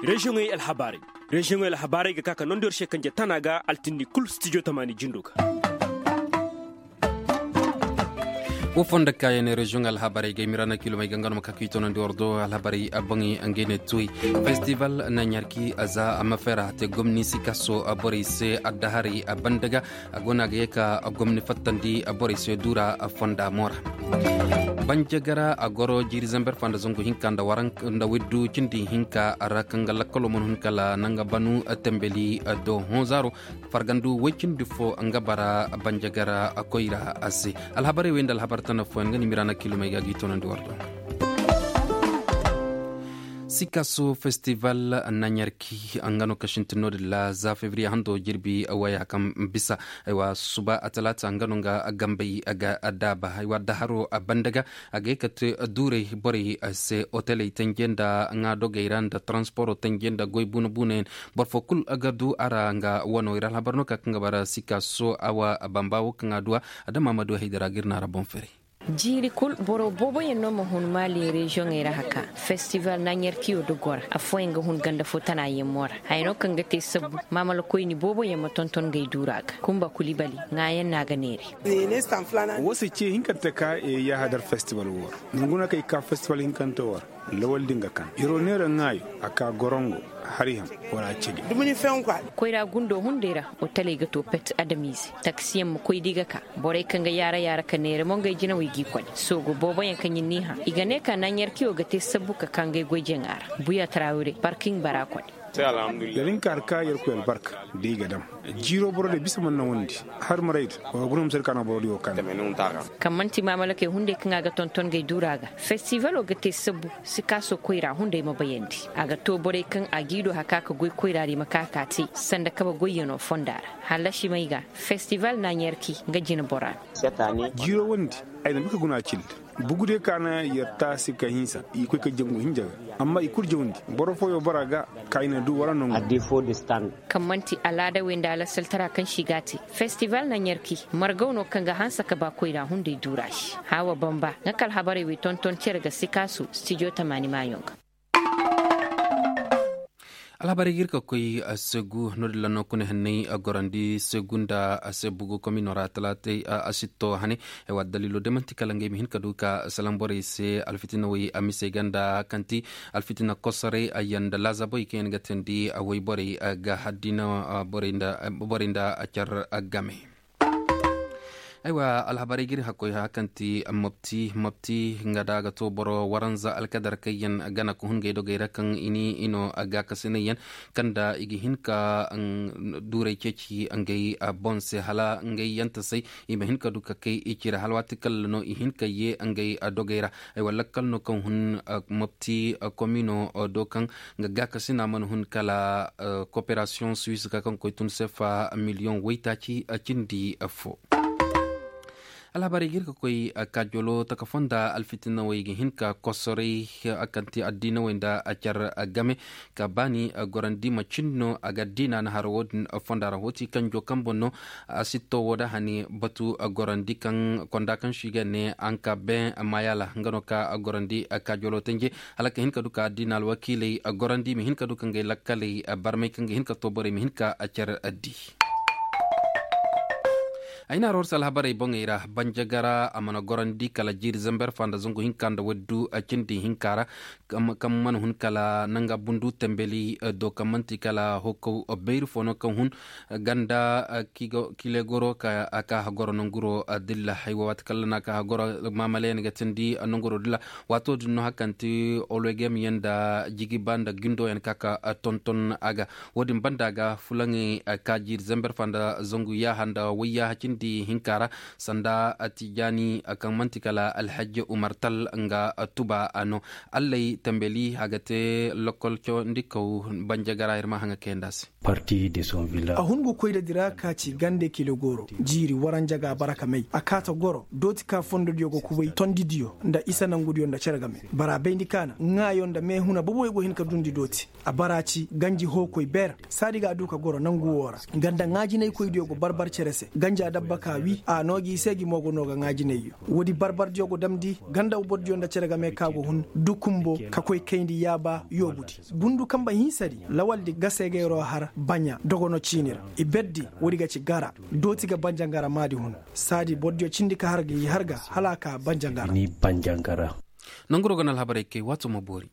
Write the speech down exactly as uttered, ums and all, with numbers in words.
Reziyoŋey alhabaarey. Reziyoŋey alhabaarey ga ka ka nondi war se kanje tana ga altindi kul stijo tamaani jindo ga. Wo fondo kaayaŋ ne reziyoŋ alhabarey ga ay miraana kilomey ga nga no ma ka ka i tonandi war do alhabarey a boŋey ngey ne tuwey. Festival na ɲarki a za a ma fera a te gomni sikaso a borey se addaharey a banda ga a go no a ga ye ka gomni fattandi a borey se duura a fonda moora. Banjagara a goro jiiri zamber fanda zangu hinka nda waranka nda widdu cindi hinka ra kaŋ ga lakkalo mana hun kala nanga banu tembeli do honzaro. Fargandu woy cindi fo nga bara banjagara koyra a se. Alhabarey wey nda alhabar tana fooyaŋ nga ni miraana kilomey ga gi tonandi war do. Sikaso festival na ɲarki nga no ka sintin no-din ra za fevriye hando jirbi waya kaŋ bisa. Aywa suba a talaata nga no nga gambey ga daaba aywa daharo a banda ga. A ga ye ka te duurey borey se oteley tenje nda ŋaadogey ra nda taransporo tenje nda goy buuna buunayaŋ. Boro fo kul ga du a ra nga wano i ra alhabar no ka kaŋ ga bara sikaso awa bamba wo kaŋ a du a adama ma du haydara ga ir na a ra boŋ ferey. Jiiri kul boro booboyaŋ no ma hun maali reziyoŋey ra haka. Festival na ɲarkiyo da gora afooyaŋ ga hun ganda fo tana yemmo ra. Haya no kaŋ ga te sabbu maamalakoyni booboyaŋ ma tonton ngey duura ga kumba kulibali ŋaayaŋ no a ga neeri. Wo se ce hinkante ka e yahadar festival wo ra. Nanguna kay ka festival hinkante wo ra. Lawal din ga kan iro neera ŋaayo a ka gorongo. Hari ham wala a cedi. Koyra gundo hunday ra otaley ga to pet adamize taksiyaŋ ma koy da i ga ka. Borey kaŋ ga yaara yaara ka neera mo ngey jinawey g'i kone soogo booboyaŋ kaŋ ɲin n'i hã i ga ne ka naaɲarkiyo ga te sabbu ka ka ngey goyjaŋa ra. Buya tarawire parkiŋ bara kone. Da nin ka har ka yerkoy albarka da i ga dam. Jiiro boro de bisa man na wandi. Har maray da wa guna musar ka na boro di wo kan. Kaŋ man'ti maamalakey hunday kaŋ a ga tonton ngey duura ga. Festivalo ga te sabbu sikaso koyra hunday ma bayandi a ga to borey kaŋ a g'i do haka ka goy koyra di ma ka ka te sanda kabe goyyano fonda ra. Hallasi may ga festival na ɲarki nga jina bora no. Jiiro wondi ay na bi ka guna a cille. Bugu de ka na yer taasi ka hinsa i koy ka jangu hinja ga. Amma i kulu jawndi boro fooyo bara ga ka i na du wara nangu. Kaŋ man'ti alaadawey nda alasaltara kaŋ se i g'a te. Festival na ɲarki margaw no kaŋ ga hanse ka ba koyra hunday duura se. Haawa bamba nga ka alhabarey wey tonton cere ga sikaasu stijo tamaani maayoŋ ga. Alhabarey ga ir ka koy segu no-din ra no kuna henney gorandi segu nda sebugu komino ra talaatey asitto hane. Ay wa daliilo day man'ti kala ngey ma hin ka du ka salam borey se alfitinawey a misey ga nda kaŋ ti alfitina kosorey ayyaŋ nda laazaboy kaŋ yaŋ ga teendi wayborey ga haddiina borey nda car game. Aywa alhabarey ga ir hakkoy haya kaŋ ti mopti mopti nga da a ga to boro waranza alkadar kaŋ yaŋ gana ka hun ngey dogey ra kaŋ i ni i no gaakasinay yaŋ kaŋ nda i ga hin ka duurey ceeci ngey boŋ se hala ngey yantasey i ma hin ka du ka kay i ci ra hala waati kala no i hin ka ye ngey dogey ra. Ay wa lakkal no kaŋ hun mopti komino do kaŋ nga gaakasina mana hun kala koperasiyoŋ suwis ga kaŋ koy tun sefa miliyoŋ waytaaci cindi fo. Alhabarey ga ir ka koy kaajolo taka fonda alfitinawey ga hin ka kosoray kaŋ ti addiinawey nda car game ka baani gorandi macin no a ga addiina na haro wo-din fonda ra wo ti kanjo kaŋ boŋ no. Asitto wo da hani batu gorandi kaŋ konda kaŋ se i ga ne anka ben mayala nga no ka gorandi kaajolo tanje hala ka hin ka du ka addiina alwakiiley gorandi i ma hin ka du ka ngey lakkaley barmay kaŋ ga hin ka to borey ma hin ka car addi. Ay na roor se alhabarey boŋey ra banjagara a mana gorandi kala jiiri zamber fa nda zangu hinka nda waddu cindi hinka ra. Kaŋ mana hun kala nanga bundu tembeli do kaŋ man'ti kala hokkow bayri fo no kaŋ hun ganda kilegoro ka a ka hagoro nanguro dilla haywa waati kala na ka hagoro maamalayaŋ ga tindi nanguro dilla. Waato din no hakaŋ ti ologem yaŋ nda jigiba nda gindo yaŋ ka ka tonton a ga. Wo-din banda ga fulaŋey ka jiiri zamber fa nda zangu yaaha nda wayyaaha cindi hinka ra sanda tijaani kaŋ man'ti kala alhaji umar tal nga tuba a no. Allay tambeli a ga te lokol cawandikaw banjagara ir ma haŋa kayanda se. A hun ga koy da dira ka ci gande kile goro jiiri waranja ga bara ka may a kaata goro dooti ka fondodiyo ga kubay tondidiyo nda isa nangudiyo nda cere game. Bara bayndi kaana ŋaayo nda meehuna boboyo go hin ka dundi dooti. A bara ci ganji hookoy beer saadi ga a du ka goro nangu wo ra. Ganda ŋaajinaykoydiyo go barbar cere se ganja. Baka wi a noo gi i se gi mo go noo ga ŋaa jinayyo. Woodi barbardiyo go damndi ganda bordiyo nda cere game ka go hun dukumbo ka koy kayndi yaaba yoobudi. Bundu kanba hinsadi lawaldi gasegeeroo har baɲa dogonoo ciini ra. I berdi woodi ga ci gara dooti ga banjangara maadi hun. Saadi bordiyo cindi ka har ga i har ga hala a ka banjangara. Nanguroo ga na alhabarey kay waatoo ma boori.